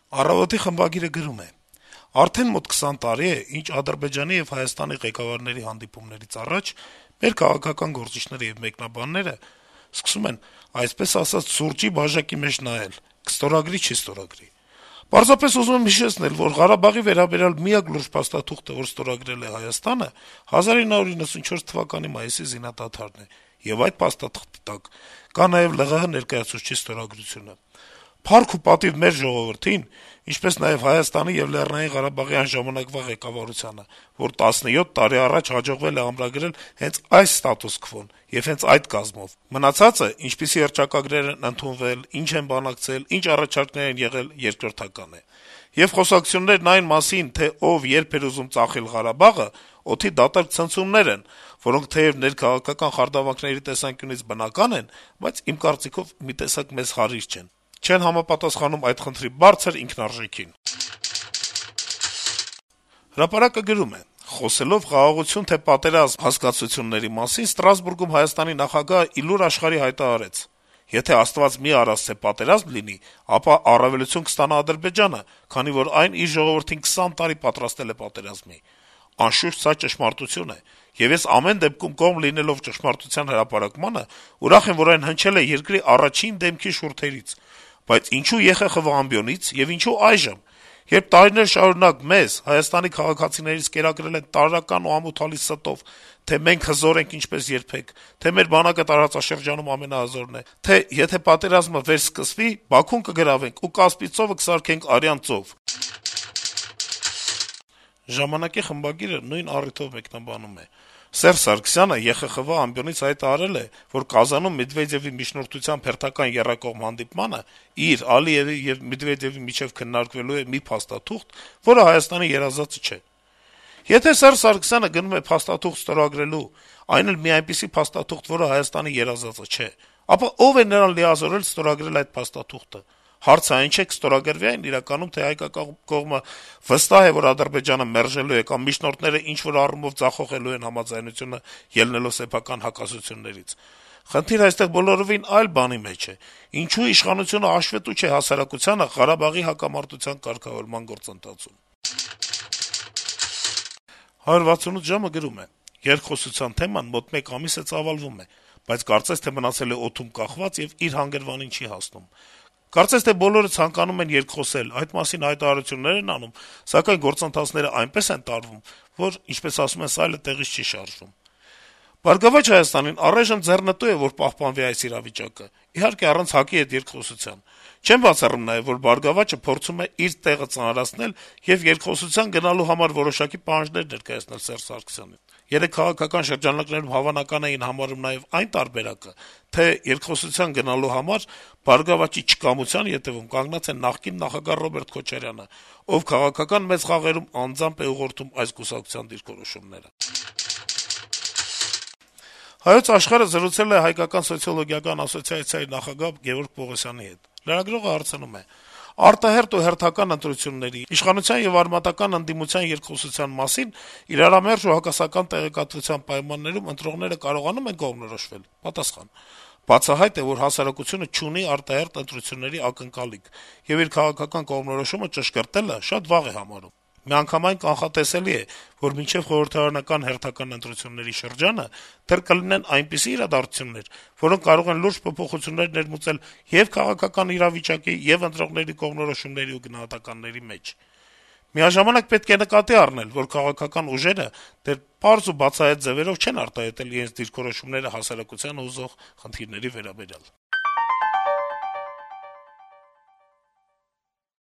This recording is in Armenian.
«Առավոտ»-ի խմբագիրը գրում է. - «Արդեն մոտ 20 տարի է, ինչ Ադրբեջանի եւ Հայաստանի ղեկավարների հանդիպումներից առաջ մեր քաղաքական գործիչները եւ մեկնաբանները սկսում են, այսպես ասած, սուրճի բաժակի մեջ նայել` կստորագրի, չի ստորագրի: Պարզապես ուզում եմ հիշեցնել, որ Ղարաբաղի վերաբերյալ միակ լուրջ փաստաթուղթը, որ ստորագրել է Հայաստանը, 1994 թվականի մայիսի զինադադարն է, եւ այդ փաստաթղթի տակ կա նաեւ ԼՂՀ ներկայացուցչի ստորագրությունը: Փառք ու պատիվ մեր ժողովրդին, ինչպես նաեւ Հայաստանի եւ Լեռնային Ղարաբաղի այն ժամանակվա ղեկավարությանը, որ 17 տարի առաջ հաջողվել է ամրագրել հենց այս ստատուս քվոն եւ հենց այդ կազմով: Մնացածը, ինչպիսի հռչակագրեր են ընդունվել, ինչ են բանակցել, ինչ առաջարկներ են եղել, երկրորդական է: Եվ խոսակցություններն այն մասին, թե ով երբ էր ուզում ծախել Ղարաբաղը, օդի դատարկ ցնցումներ են, որոնք թեեւ ներքաղաքական խարդավանքների տեսանկյունից բնական են, բայց իմ կարծիքով մի տեսակ մեզ հարիր չեն: Չեն համապատասխանում այդ խնդրի բարձր ինքնարժեքին»: «Հրապարակ»-ը գրում է. - «Խոսելով «խաղաղություն, թե պատերազմ» հասկացությունների մասին, Ստրասբուրգում Հայաստանի նախագահը ի լուր աշխարհի հայտարարեց. եթե Աստված մի արած, թե պատերազմ լինի, ապա առավելություն կստանա Ադրբեջանը, քանի որ այն իր ժողովրդին 20 տարի պատրաստել է պատերազմի: Անշուշտ, սա ճշմարտություն է, եւ ես ամեն դեպքում կողմ լինելով ճշմարտության հրապարակմանը, ուրախ եմ, որ այն հնչել է երկրի առաջին դեմքի շուրթերից: Բայց ինչո՞ւ ԵԽԽՎ ամբիոնից, եւ ինչո՞ւ այժմ, երբ տարիներ շարունակ մեզ` Հայաստանի քաղաքացիներից կերակրել են տարրական ու ամոթալի ստով, թե մենք հզոր ենք ինչպես երբեք, թե մեր բանակը տարածաշրջանում ամենահզորն է, թե եթե պատերազմը վերսկսվի, Բաքուն կգրավենք ու Կասպից ծովը կսարքենք արյան ծով»: «Ժամանակ»-ի խմբագիրը նույն առիթով մեկնաբանում է. - «Սերժ Սարգսյանը ԵԽԽՎ ամբիոնից հայտարարել է, որ Կազանում Մեդվեդեւի միջնորդությամբ հերթական եռակողմ հանդիպմանը իր, Ալիեւի եւ Մեդվեդեւի միջեւ քննարկվելու է մի փաստաթուղթ, որը Հայաստանի երազածը չէ: Եթե Սերժ Սարգսյանը գնում է փաստաթուղթ ստորագրելու, այն էլ մի այնպիսի փաստաթուղթ, որը Հայաստանի երազածը չէ, ապա ով է նրան լիազորել ստորագրել այդ փաստաթուղթը: Հարցը այն չէ` կստորագրվի՞ այն իրականում, թե հայկական կողմը վստահ է, որ Ադրբեջանը մերժելու է կամ միջնորդները ինչ-որ առումով ձախողելու են համաձայնությունը` ելնելով սեփական հակասություններից: Խնդիրը այստեղ բոլորովին այլ բանի մեջ է. ինչո՞ւ իշխանությունը հաշվետու չէ հասարակությանը Ղարաբաղի հակամարտության կարգավորման գործընթացում»: «168 ժամ»-ը գրում է. - «Երկխոսության թեման մոտ մեկ ամիս է ծավալվում է, բայց կարծես թե մնացել է օդում կախված եւ իր հանգրվանին չի հասնում: Կարծես թե բոլորը ցանկանում են երկխոսել, այդ մասին հայտարարություններ են անում, սակայն գործընթացները այնպես են տարվում, որ, ինչպես ասում են, սայլը տեղից չի շարժվում: «Բարգավաճ Հայաստանին» առայժմ ձեռնտու է, որ պահպանվի այս իրավիճակը, իհարկե, առանց ՀԱԿ-ի հետ երկխոսության: Չեմ բացառում նաեւ, որ «Բարգավաճը» փորձում է իր տեղը ծանրացնել եւ երկխոսության գնալու համար որոշակի պահանջներ ներկայացնել Սերժ Սարգսյանին: Երեկ քաղաքական շրջանակներում հավանական էին համարում նաեւ այն տարբերակը, թե երկխոսության գնալու համար «Բարգավաճի» չկամության ետեւում կանգնած է նախկին նախագահ Ռոբերտ Քոչարյանը, ով քաղաքական մեծ խաղերում անձամբ է ուղղորդում այս կուսակցության դիրքորոշումները»: «Հայոց Աշխարհ»-ը զրուցել է Հայկական սոցիոլոգիական ասոցիացիայի նախագահ Գեորգ Պողոսյանի հետ: Լրագրողը հարցնում է. - «Արտահերթ ու հերթական ընտրությունների, իշխանության եւ արմատական ընդդիմության երկխոսության մասին իրարամերժ ու հակասական տեղեկատվության պայմաններում ընտրողները կարողանո՞ւմ են կողմնորոշվել»: Պատասխան. - «Բացահայտ է, որ հասարակությունը չունի արտահերթ ընտրությունների ակնկալիք, եւ իր քաղաքական կողմնորոշումը ճշգրտելը շատ վաղ է համարում: Միանգամայն կանխատեսելի է, որ մինչեւ խորհրդարանական հերթական ընտրությունների շրջանը դեռ կլինեն այնպիսի իրադարձություններ, որոնք կարող են լուրջ փոփոխություններ ներմուծել ե'ւ քաղաքական իրավիճակի, ե'ւ ընտրողների կողմնորոշումների ու գնահատականների մեջ: Միաժամանակ պետք է նկատի առնել, որ քաղաքական ուժերը դեռ պարզ ու բացահայտ ձեւերով չեն արտահայտել իրենց դիրքորոշումները հասարակությանը հուզող խնդիրների վերաբերյալ»: